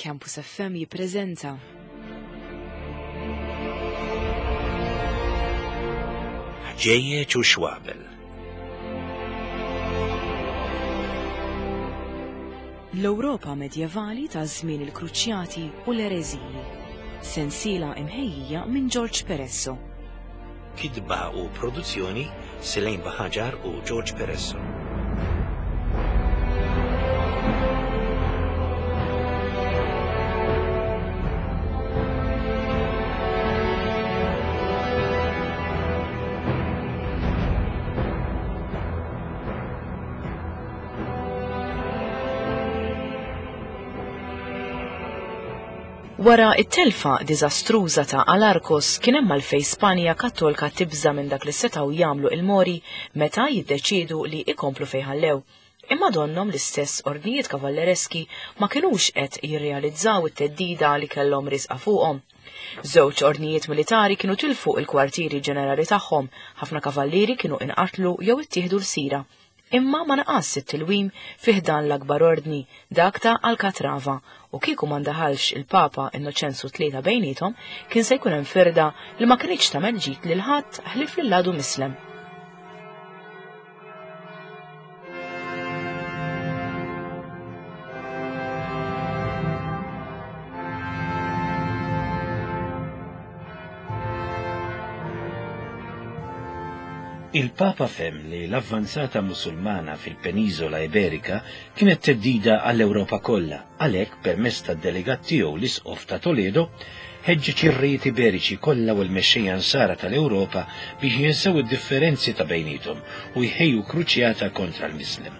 Campus FM jippreżenta. Ħġejjeġ u xwabel. L-Ewropa medjevali ta' żmien il-Kruċjati u l-Ereżiji. Sensiela imħejjija minn George Peresso. Kitba u produzzjoni Selain Baħaġar u George Peresso. Wara t-telfa diżastruża ta' Alarcos kien hemm għalfejn Spanja Kattolka tibża' minn dak li setgħu jagħmlu il-Mori meta jiddeċiedu li jkomplu fejn ħallew. Imma donnhom l-istess ordnijiet kavallereski ma kinux qed jirrealizzaw it-theddida li kellhom riesqa fuqhom. Żewġ ordnijiet militari kienu tilfu l-kwartieri ġenerali tagħhom, ħafna kavallieri kienu inqatlu jew ittieħdu lsira. Imma ma naqasx it-tilwim fi ħdan l-akbar ordni, dak ta' Alcatrava, u kieku ma ndaħalx il-Papa Innoċenzu Tlieta bejniethom, kien se jkun hemm firda li ma kinitx tagħmel ġid lil ħadd ħlief lill-għadu mislem. Il-Papa fehem li l-avvanzata Musulmana fil-Peniżola Iberika kienet theddida għall-Ewropa kollha, għalhekk permezz tad-delegat tiegħu l-Isqof ta' Toledo, ħeġġeġ ir-rejiet Iberiċi kollha u l-mexxejja Nsara tal-Ewropa biex jinsew id-differenzi ta' bejniethom u jħejju kruċjata kontra l-Mislem.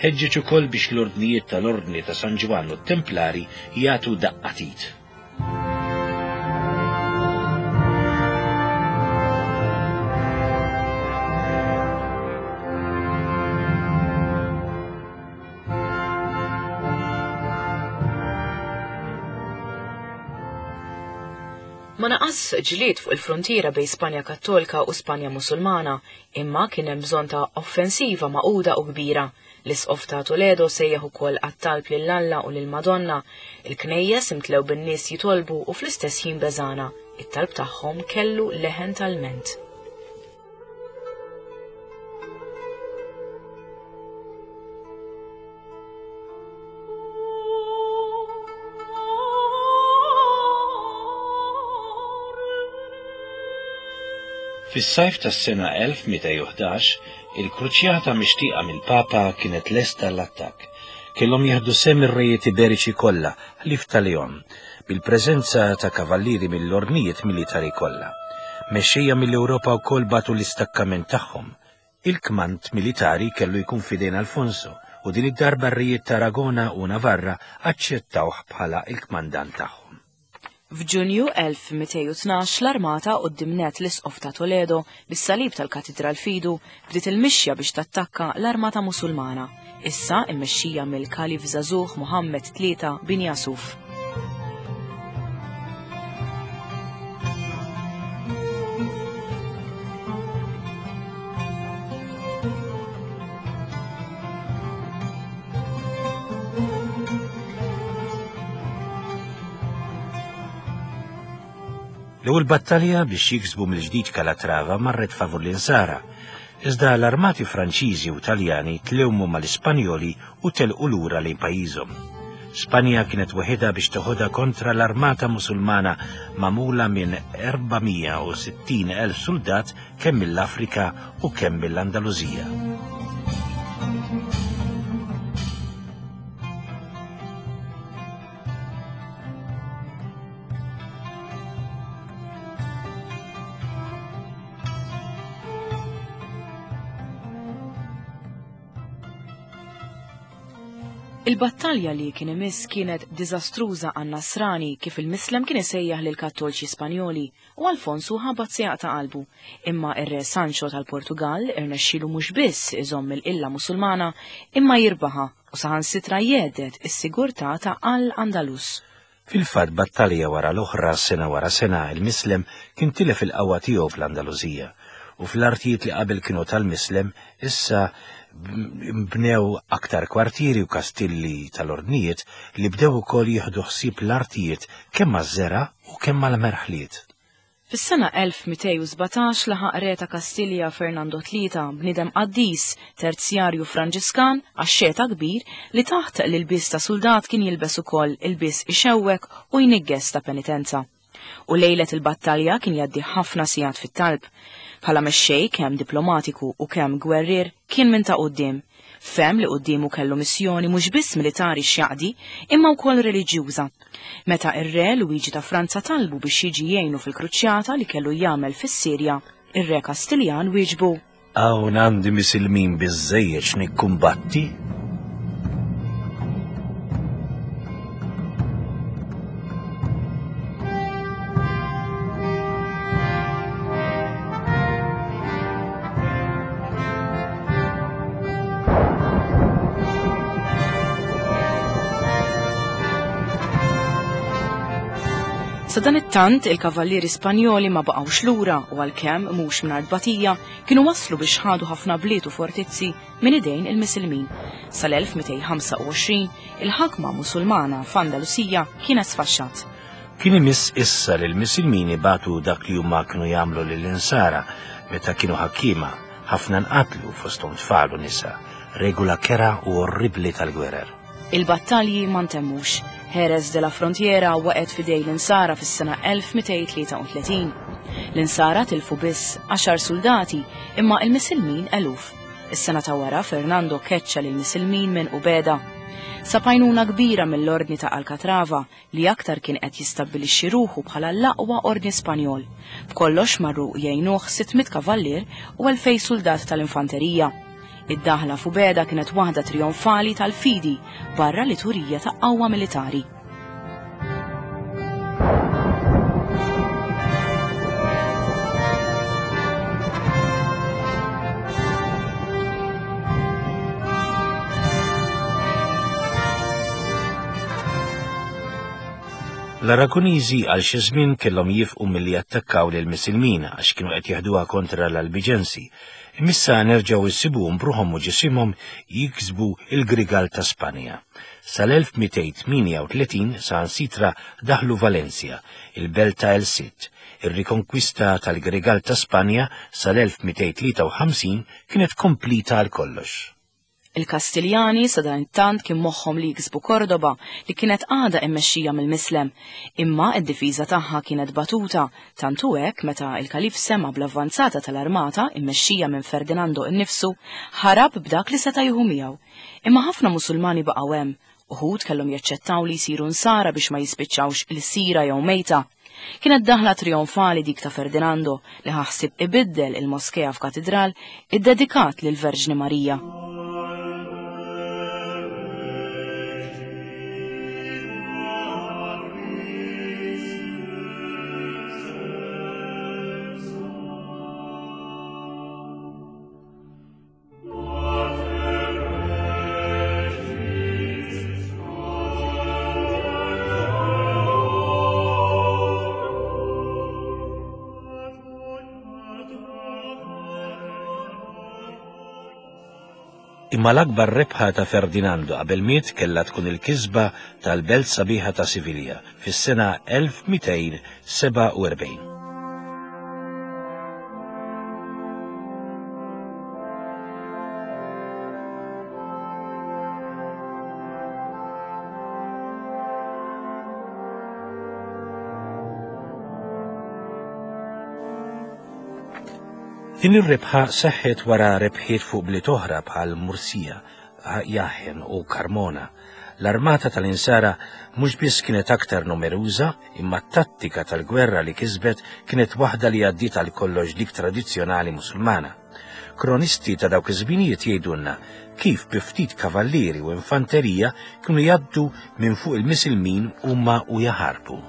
Ħeġġeġ ukoll biex l-ordnijiet tal-Ordni ta' San Ġwann u t-Templari jagħtu daqqa t'id. Ma naqas ġlied fuq il-fruntiera bejn Spanja Kattolika u Spanja Musulmana, imma kien hemm bżonn ta' offensiva magħquda u kbira. L-Isqof ta' Toledo sejjaħ ukoll għat-talb lil Alla u lill-Madonna. Il-knejjes imtlew bin-nies jitolbu u fl-istess ħin beżgħana. It-talb tagħhom kellu leħen ta' lment. Fis-sajf tas-sena 1211, Il-kruċjata mixtieqa mill-Papa kienet lesta għall-attakk. Kellhom jieħdu sehem ir-rejiet Iberiċi kollha, ħlief ta' Leon, bil-preżenza ta' kavallieri mill-ordnijiet militari kollha. Mexxejja mill-Ewropa wkoll bagħtu l-istakkament tagħhom. Il-kmand militari kellu jkun f'idejn Alfonso, u din id-darba r-rejiet ta' Aragona u Navarra aċċettawh bħala l-kmandant tagħhom. F'Ġunju 1212 l-armata quddiem nett l-Isqof ta' Toledo bis-salib tal-Katidral f'idu bdiet il-mixja biex tattakka l-armata Musulmana, issa immexxija mill-Kalif żagħżugħ Muhammad Tlieta bin Yasuf. L-ewwel battalja biex jiksbu mill-ġdid Calatrava marret favur l-Insara, iżda l-armati Franċiżi u Taljani tlewmu mal-Ispanjoli u telqu lura lejn pajjiżhom. Spanja kienet weħidha biex teħodha kontra l-armata Musulmana magħmula minn 460,000 suldat kemm mill-Afrika u kemm mill-Andalużija. Il-battalja li kien imiss kienet diżastruża għan-Nasrani kif il-Mislem kien isejjaħ lill-Kattolċi Spanjoli u Alfonsu ħabat se jaqta' qalbu. Imma ir-Re Sancho tal-Portugall irnexxielu mhux biss iżomm il-qilla Musulmana imma jirbaħha u saħansitra jgħedded is-sigurtà ta' Al-Andalus. Fil-fatt battalja wara l-oħra, sena wara sena, il-Mislem kien tilef il-qawwa tiegħu fl-Andalużija, u fl-artijiet li qabel kienu tal-Mislem, issa Bnew aktar kwartieri u kastilli tal-ordnijiet li bdew ukoll jieħdu ħsieb l-artijiet kemm għaż-żergħa u kemm għall-merħliet. Fis-sena 1217 laħaq re ta' Kastilja Fernando Tlieta, bniedem qaddis, terzjarju Franġiskan, axxeta kbir, li taħt l-ilbies ta' suldat kien jilbes ukoll ilbies ixewwek u jniggeż ta' penitenza. U lejlet il-battalja kien jgħaddi ħafna sigħat fit-talb. Bħala mexxej kemm diplomatiku u kemm gwerrier kien minn ta' quddiem. Fehem li quddiemu kellu missjoni mhux biss militari x'jaqdi, imma wkoll reliġjuża. Meta r-Re Luiġi ta' Franza talbu biex jiġi jgħinu fil-kruċjata li kellu jagħmel fis-Sirja, ir-Re Kastiljan wieġbu. Hawn għandi misilmin biżżejjed x'nikkumbatti. Sadanittant, il-kavallieri Spanjoli ma baqgħux lura u għalkemm mhux mingħajr tbatija, kienu waslu biex ħadu ħafna bliet u fortizzi minn idejn il-Misilmin. Sal-1225, il-ħakma Musulmana f'Andalusija kienet sfaxxat. Kien imiss issa li l-Misilmin ibatu dak li huma kienu jagħmlu lill-Insara meta kienu ħakkiema, ħafna nqatlu fosthom tfal u nisa, regola kerha u orribbli tal-gwerer. Il-battalji ma ntemmux. Jerez de la Frontiera waqgħet f'idejn l-Insara fis-sena 1233. L-Insara tilfu biss għaxar suldati imma l-Misilmin eluf. Is-sena ta' wara Fernando keċċa lill-Misilmin minn Ubeda. Sab għajnuna kbira mill-Ordni ta' Alcatrava li aktar kien qed jistabbilixxi ruħu bħala l-aqwa ordni Spanjol. B'kollox marru jgħinuh 600 kavallier u 2,000 suldat tal-infanterija. Id-daħla f'Ubeda kienet waħda trijonfali tal-fidi barra li turija ta' qawwa militari. L-Aragoniżi għal xi żmien kellhom jifqu milli jattakkaw lil Misilmin għax kienu qed jeħduha kontra l-Albiġensi. Imma issa nerġgħu issibuhom b'ruħhom u ġisimhom jiksbu l-Grigal ta' Spanja. Sal-1238 saħansitra daħlu Valencia, il-belt ta' El Cid. Ir-rikonkwista tal-Grigal ta' Spanja sal-1253 kienet komplita għal kollox. Il-Kastiljani sadanittant kien moħħhom li jiksbu Kordoba li kienet għadha immexxija mill-Mislem, imma d-difiża tagħha kienet batuta, tant hu hekk meta l-Kalif sema' bl-avvanzata tal-armata immexxija minn Ferdinando innifsu, ħarab b'dak li seta' jieħu miegħu. Imma ħafna Musulmani baqgħu hemm, uħud kellhom jaċċettaw li jsiru Nsara biex ma jispiċċawx ilsira jew mejta. Kienet daħla trijonfali dik ta' Ferdinando li ħa ħsieb ibiddel il-moskea f'katidral iddedikat lill-Verġni Marija. Imma l-akbar rebħa ta' Ferdinando qabel miet kellha tkun il-kisba tal-belt sabiħa ta' Sivilja fis-sena 1247. Din ir-rebħa seħħet wara rebħiet fuq bliet oħra bħal Mursija, Jahen u Carmona. L-armata tal-Insara mhux biss kienet aktar numeruża, imma t-tattika tal-gwerra li kisbet kienet waħda li għaddiet għal kollox dik tradizzjonali Musulmana. Kronisti ta' dawk iż-żminijiet jgħidulna kif bi ftit kavallieri u infanterija kienu jgħaddu minn fuq il-Misilmin huma u jaħarbu.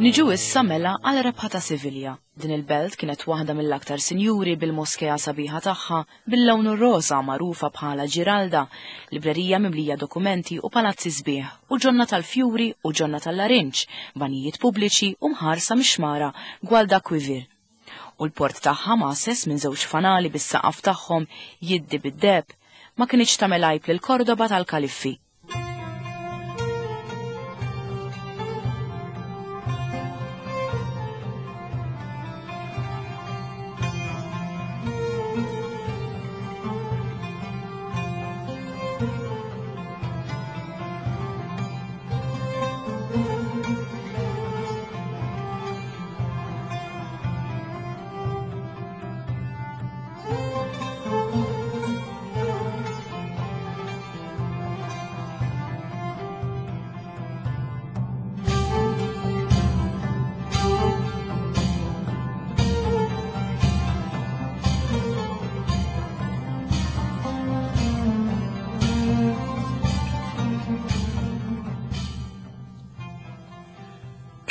Niġu issa mela għal rebħa ta' Sivilja. Din il-belt kienet waħda mill-aktar sinjuri bil-moskea sabiħa tagħha bil-lawn roża magħrufa bħala Giralda, librerija mimlija dokumenti u palazzi sbieħ u ġonna tal-fjuri u ġonna tal-larinġ, banijiet pubbliċi u mħarsa mix-xmara Guadalquivir. U l-port tagħha mgħasses minn żewġ fanali bis-saqaf tagħhom jiddi bid-deheb, ma kinitx tagħmel għajb lil Kordoba tal-Kaliffi.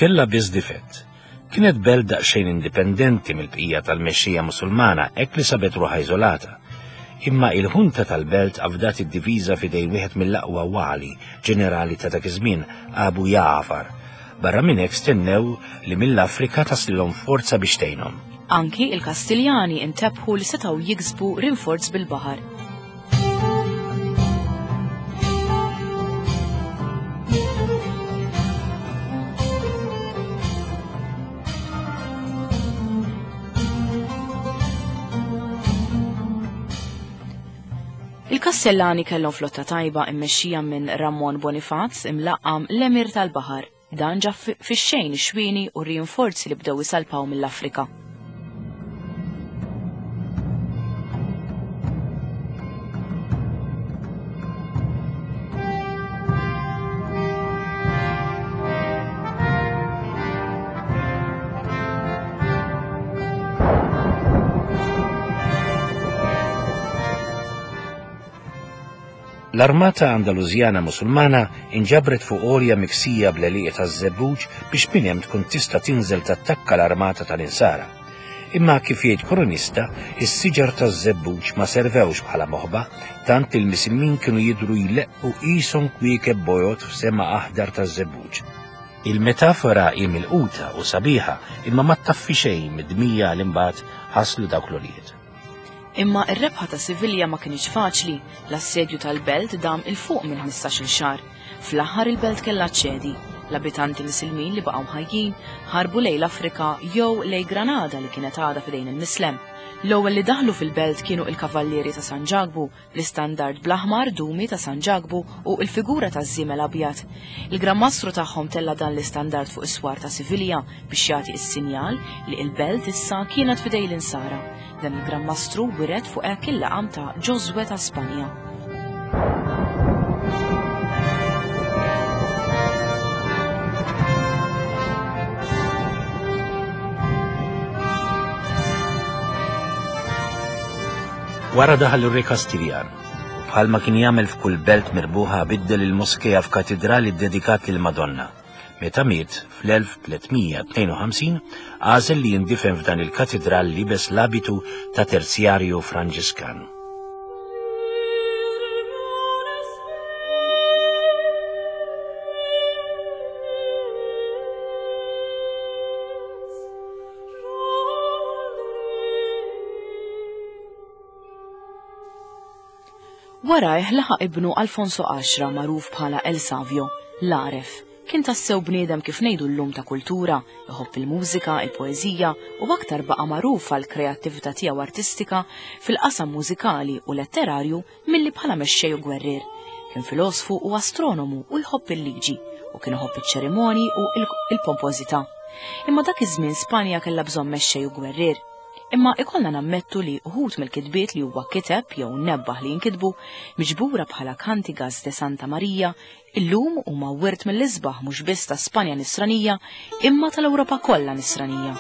Kellha biss difett. Kienet belt daqsxejn indipendenti mill-bqija tal-mexxejja Musulmana hekk li sabet ruħha iżolata. Imma il-ħunta tal-belt afdat id-diviża f'idejn wieħed mill-aqwa wali ġenerali ta' dak iż-żmien, Abu Ja'far. Barra minn hekk stennew li mill-Afrika taslilhom forza biex tgħinhom. Anki il-Kastiljani intebħu li setgħu jiksbu rinforz bil-baħar. Il-Kastellani kellhom flotta tajba immexxija minn Ramon Bonifaz imlaqqam l-Emir tal-Baħar. Dan ġab fix-xejn ix-xwieni u r-rinforzi li bdew isalpaw mill-Afrika. L-armata Andalużjana Musulmana inġabret fuq għolja miksija bl-għelieqi taż-żebbuġ biex minn hemm tkun tista' tinżel tattakka l-armata tal-Insara. Imma kif jgħid kronista, is-siġar taż-żebbuġ ma servewx bħala moħba, tant li l-Misilmin kienu jidhru jleqqu qishom kwiekeb bojod f'sema aħdar taż-żebbuġ. Il-metafora hi milquta u sabiħa, imma ma ttaffi xejn mid-dmija li mbagħad ħaslu dawk l-ulied. Imma r-rebħa ta' Sivilja ma kinitx faċli, l-assedju tal-belt dam 'il fuq minn 15-il xahar. Fl-aħħar il-belt kellha ċċedi. L-abitanti Misilmin li baqgħu ħajjin ħarbu lejn l-Afrika jew lejn Granada li kienet għadha f'idejn il-Mislem. L-ewwel li daħlu fil-belt kienu il-Kavallieri ta' San Ġakbu, l-istandard bl-aħmar dumi ta' San Ġakbu u l-figura taż-żiemel abjad. Il-Gran Mastru tagħhom tella' dan l-istandard fuq is-swar ta' Sivilja biex jagħti s-sinjal li l-belt issa kienet f'idejn l-Insara. Dan il-Gran Mastru wiret fuq hekk il-laqam ta' Ġożwè ta' Spanja. Wara daħal ir-Re Kastiljan, u bħalma kien jagħmel f'kull belt mirbuħa biddel il-moskea f'katidral iddedikat lill-Madonna. Meta miet fl-1352, għażel li jindifen f'dan il-katidral liebes l-abitu ta' terzjarju Franġiskan. Warajh laħaq ibnu Alfonso Għaxra magħruf bħala El Savio, l-għaref. Kien tassew bniedem kif ngħidu llum ta' kultura, iħobb il-mużika, il-poeżija u aktar baqa' magħruf għall-kreattività tiegħu artistika fil-qasam mużikali u letterarju milli bħala mexxej u gwerrier. Kien filosfu u astronomu u jħobb il-liġi u kien iħobb iċ-ċerimonji u il-pompożità. Imma dak iż-żmien Spanja kellha bżonn mexxej u gwerrier. Imma ikollna nammettu li uħud mill-kitbiet li huwa kiteb jew nebbaħ li jinkitbu, miġbura bħala Cantigas de Santa Maria, illum huma wirt mill-isbaħ mhux biss ta' Spanja Nisranija imma tal-Ewropa kollha Nisranija.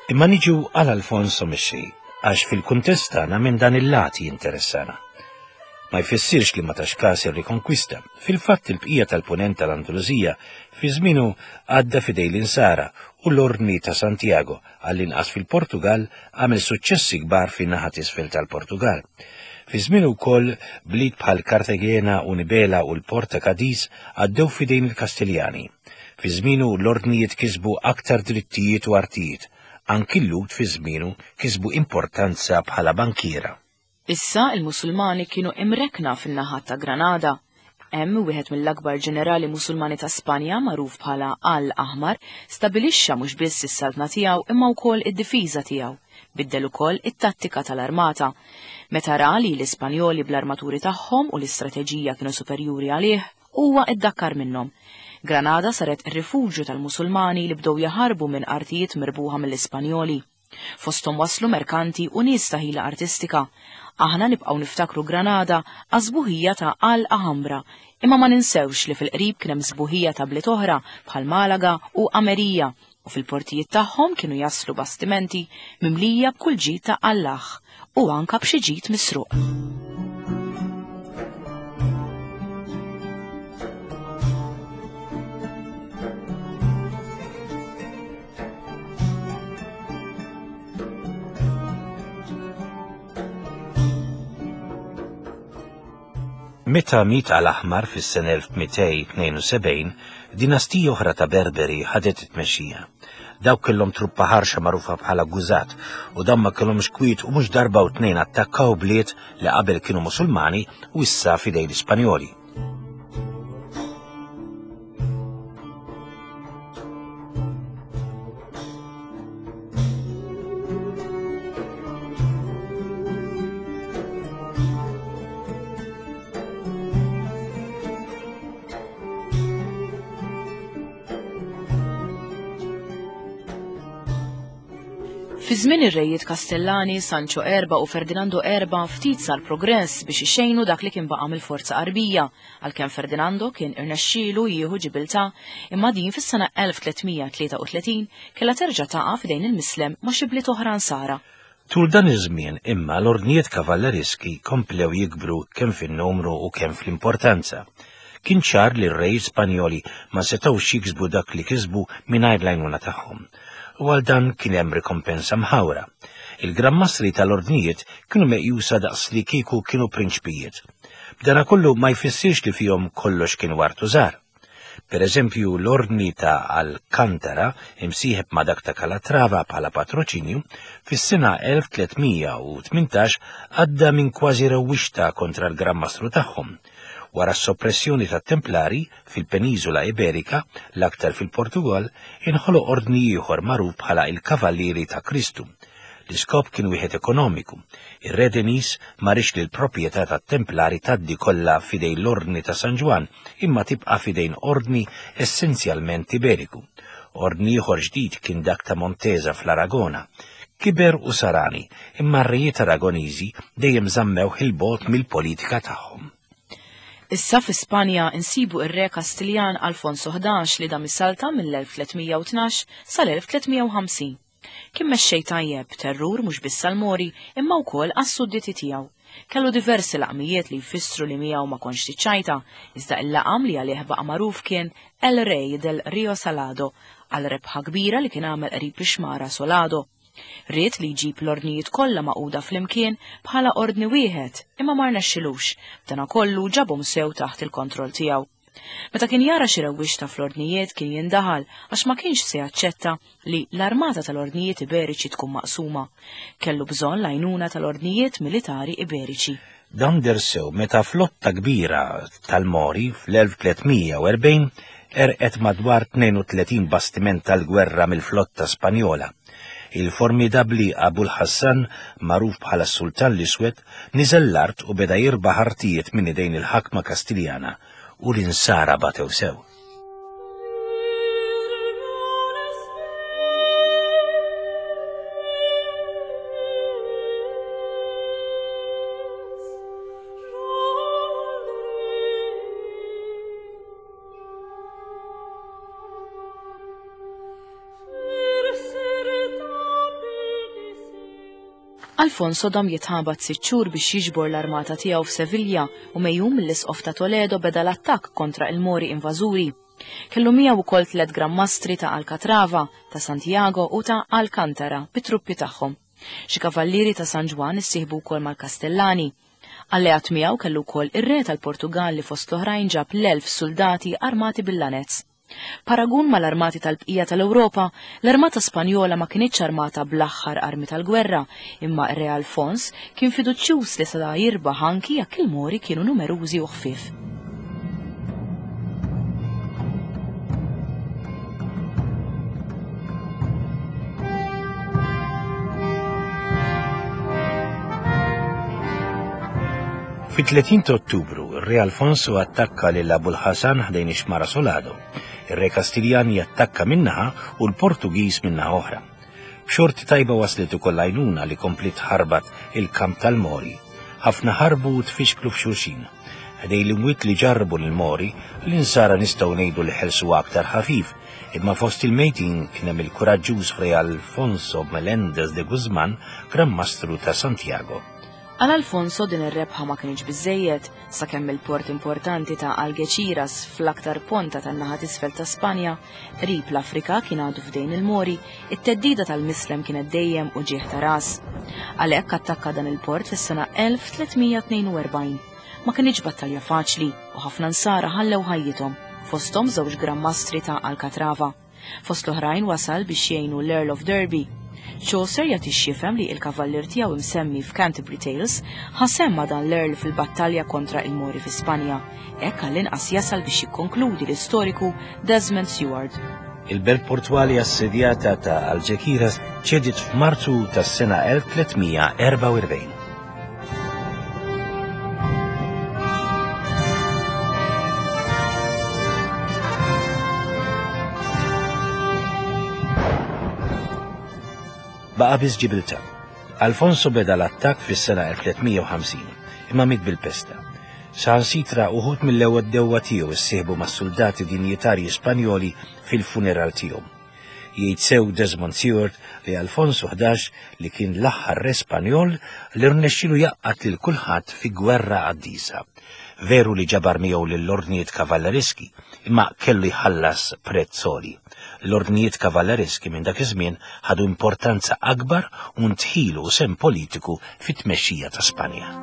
Imma niġu għal Alfonso Mixi, għax fil-kuntest tagħna minn dan il-lat jinteressana. Ma jfissirx li ma tax każ ir-rikonkwista. Fil-fatt il-bqija tal-punent tal-Andalusija fi żmienu għadda f'idej l-Insara u l-Ordni ta' Santiago, għall-inqas fil-Portugall, għamel suċċessi kbar fin-naħa t'isfel tal-Portugall. Fi żmienu wkoll bliet bħal Cartagena u Nibela u l-port ta' Cadiz għaddew f'idejn il-Kastiljani. Fi żmienu l-ordnijiet kisbu aktar drittijiet u artijiet. Anki l-Lhud fi żmienu kisbu importanza bħala bankiera. Issa il-Musulmani kienu imrekkna fin-naħat ta' Granada. Hemm wieħed mill-akbar ġenerali Musulmani ta' Spanja magħruf bħala Al Aħmar stabilixxa mhux biss is-saltna tiegħu imma wkoll id-difiża tiegħu. Biddel ukoll it-tattika tal-armata. Meta ra li l-Ispanjoli bl-armaturi tagħhom u l-istrateġija kienu superjuri għalih, huwa iddakkar minnhom. Granada saret rifuġju tal-Musulmani li bdew jaħarbu minn artijiet mirbuħa mill-Ispanjoli. Fosthom waslu merkanti u nies ta' ħila artistika. Aħna nibqgħu niftakru Granada għas-sbuħija ta' Al Alhambra, imma ma ninsewx li fil-qrib kien hemm sbuħija ta' bliet oħra bħal Malaga u Amerija u fil-portijiet tagħhom kienu jaslu bastimenti mimlija b'kull ġid ta' Allah u anka b'xi ġid misruq. Meta miet Al-Aħmar fis-sena 1272, dinastija oħra ta' Berberi ħadet it-tmexxija. Dawk kellhom truppa ħarxa magħrufa bħala Guzat u dawn ma kellhomx kwiet u mhux darba u tnejn attakkaw bliet li qabel kienu Musulmani u issa f'idejn l-Ispanjoli. Fi żmien ir-rejiet Kastellani, Sancho Erba u Ferdinando Erba ftit sar progress biex ixejnu dak li kien baqa' mill-forza Għarbija, għalkemm Ferdinando kien irnexxielu jieħu Ġibiltà, imma din fis-sena 1333 kellha terġa' taqa' f'idejn il-Mislem ma' xi bliet oħra Nsara. Tul dan iż-żmien imma l-ordnijiet kavallereski komplew jikbru kemm fin-numru u kemm fl-importanza. Kien ċar li r-rejiet Spanjoli ma setgħux jiksbu dak li kisbu mingħajr l-għajnuna tagħhom. U għal dan kien hemm rikompensa mħawra. Il-Gran Mastri tal-ordnijiet kienu meqjusa daqs li kieku kienu prinċpijiet. B'danakollu ma jfissirx li fihom kollox kien wart u żgħar. Per eżempju, l-ordni ta' Alcantara, imsieħeb ma' dak ta' Calatrava bħala patroċinju, fis-sena 1318 għadda minn kważi rewwixta kontra l-Gran Mastru tagħhom. Wara s-soppressjoni tat-Templari fil-Peniżola Iberika, l-aktar fil-Portugall, inħoloq ordni ieħor magħruf bħala il-Kavallieri ta' Kristu. L-iskop kien wieħed ekonomiku. Ir-Re Denis ma riedx li l-proprjetà tat-Templari tgħaddi kollha f'idejn l-Ordni ta' San Ġwann imma tibqa' f'idejn ordni essenzjalment Iberiku. Ordni ieħor ġdid kien dak ta' Montesa fl-Aragona. Kiber u sar għani, imma r-rejiet Aragoniżi dejjem żammewh 'il bogħod mill-politika tagħhom. Issa fi Spanja insibu ir-Re Kastiljan Alfonso 11 li dam is-salta mill-1312 sal-1350. Kien mexxej tajjeb, terrur mhux biss għall-Mori imma wkoll għas-sudditi tiegħu. Kellu diversi laqmijiet li jfissru li miegħu ma kontx tiċċajta, iżda il-laqam li għalih baqa' magħruf kien El Rey del Rio Salado, għal rebħa kbira li kien għamel qrib ix-xmara Solado. Ried li jġib l-ordnijiet kollha magħquda flimkien bħala ordni wieħed, imma ma rnexxilux, b'danakollu ġabhom sew taħt il-kontroll tiegħu. Meta kien jara xi rewwixta fl-ordnijiet kien jindaħal għax ma kienx se jaċċetta li l-armata tal-ordnijiet Iberiċi tkun maqsuma. Kellu bżonn l-għajnuna tal-ordnijiet militari Iberiċi. Dan deher sew meta flotta kbira tal-Mori fl-1340 għerqet madwar 32 bastiment tal-gwerra mill-flotta Spanjola. Il-formidabbli Abul Hassan, magħruf bħala s-Sultan l-Iswed, niżel l-art u beda jirbaħ artijiet minn idejn il-ħakma Kastiljana u l-Insara batew sew. Alfonso dam jitħabat sitt xhur biex jiġbor l-armata tiegħu f'Sevilja u megħjun mill-Isqof ta' Toledo beda l-attakk kontra il-Mori invażuri. Kellu miegħu wkoll tliet Gran Mastri ta' Alcatrava, ta' Santiago u ta' Alcantara bit-truppi tagħhom. Xi kavallieri ta' San Ġwann issieħbu wkoll mal-Kastellani. Alleat miegħu kellu wkoll ir-re tal-Portugall li fost l-oħrajn ġab l-1,000 suldati armati bil-lanez. Paragun mal-armati tal-bqija tal-Ewropa, l-armata Spanjola ma kinitx armata bl-aħħar armi tal-gwerra, imma r-Re Alfons kien fiduċjuż li seta' jirbaħ anki jekk il-Mori kienu numerużi u ħfief. Fit-30 ta' Ottubru, ir-Re Alfonso attakka lil Abul Ħasan ħdejn ix-xmara Solado. Ir-Re Kastiljan jattakka minn naħa u l-Portugiż minn naħa oħra. B'xorti tajba waslet ukoll għajnuna li kompliet tħarbat il-kamp tal-Mori. Ħafna ħarbu u tfixklu f'xulxin. Ħdejn l-imwiet li ġarrbu l-Mori, l-Insara nistgħu ngħidu li ħelsuha aktar ħafif, imma fost il-mejtin kien hemm il-kuraġġuż Fray Alfonso Melendez de Guzman, Gran Mastru ta' Santiago. Għal Alfonso din ir-rebħa ma kinitx biżżejjed, sakemm il-port importanti ta' Algeciras fl-aktar ponta tan-naħa t'isfel ta' Spanja, qrib l-Afrika kien għadu f'dejn il-Mori, it-theddida tal-Mislem kienet dejjem uġigħ ta' ras. Għalhekk attakka dan il-port fis-sena 1342. Ma kinitx battalja faċli u ħafna Nsara ħallew ħajjithom, fosthom żewġ Gran Mastri ta' Alcatrava. Fost l-oħrajn wasal biex jgħinu l-Earl of Derby. Chaucer jagħti x'jifhem li il-kavallier tiegħu imsemmi f'Canterbury Tales ħa sehem ma' dan l-Earl fil-battalja kontra il-Mori fi Spanja. Hekk għall-inqas jasal biex jikkonkludi l-istoriku Desmond Seward. Il-belt portwali assedjata ta' Algeciras ċediet f'Marzu tas-sena 1344. Baqa' biss Ġibiltà. Alfonso beda l-attakk fis-sena 1350, imma miet bil-pesta. Saħansitra uħud mill-ewwel dewwa tiegħu ssieħbu mas-suldati dinjitarji Spanjoli fil-funeral tiegħu. Jgħid sew Desmond Seward li Alfonso 11 li kien l-aħħar re Spanjol li rnexxielu jgħaqqad lil kulħadd fi gwerra qaddisa. Veru li ġabar miegħu lill-ordnijiet kavallereski, imma kellu jħallas prezz għoli. L-ordnijiet kavallereski minn dak iż-żmien ħadu importanza akbar u ndħilu u sehem politiku fit-tmexxija ta' Spanja.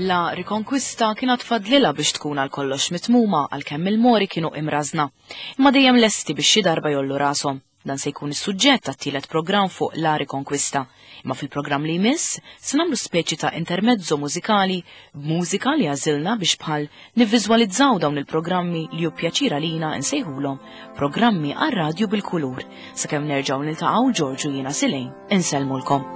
La Rikonkwista kienet fadlilha biex tkun għal kollox mitmuma għalkemm il-Mori kienu imrażna, imma dejjem lesti biex xi darba jollu rashom. Dan se jkun is-suġġett tat-tielet programm fuq La Riconquista. Imma fil-programm li jmiss se nagħmlu speċi ta' intermezzo mużikali b'mużika li għażilna biex bħal nivviżwalizzaw dawn il-programmi li hu pjaċir għalina nsejħulhom programmi għar-radju bil-kulur. Sakemm nerġgħu niltaqgħu Ġorġu jiena Silejn insellmulkom.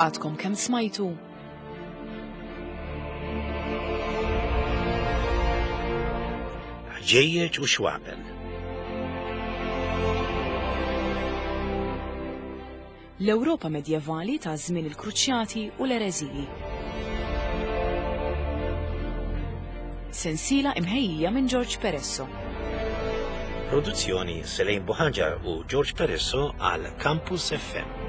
Għadkom kemm smajtu Ħġejjeġ u xwabel. L-Ewropa medjevali ta' żmien il-Kruċjati u l-Ereżiji. Sensiela imħejjija minn George Peresso. Produzzjoni Selejn Buħaġar u George Peresso għal Campus FM.